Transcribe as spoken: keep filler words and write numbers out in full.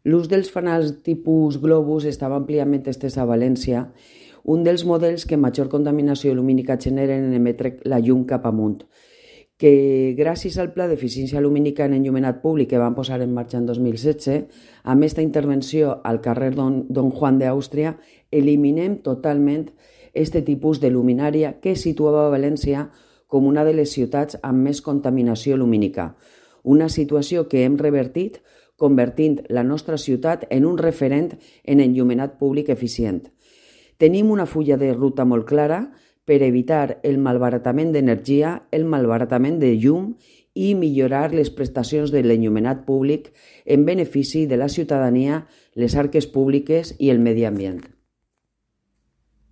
L'ús dels fanals tipus globus estava àmpliament estès a València, un dels models que major contaminació lumínica generen en emetre la llum cap amunt, que gràcies al pla d'eficiència lumínica en enllumenat públic que van posar en marxa en dos mil setze, amb aquesta intervenció al carrer Don, Don Juan d'Àustria, eliminem totalment este tipus de luminària que situava València com una de les ciutats amb més contaminació lumínica, una situació que hem revertit convertint la nostra ciutat en un referent en enllumenat públic eficient. Tenim una fulla de ruta molt clara per evitar el malbaratament d'energia, el malbaratament de llum i millorar les prestacions de l'enllumenat públic en benefici de la ciutadania, les arques públiques i el medi ambient.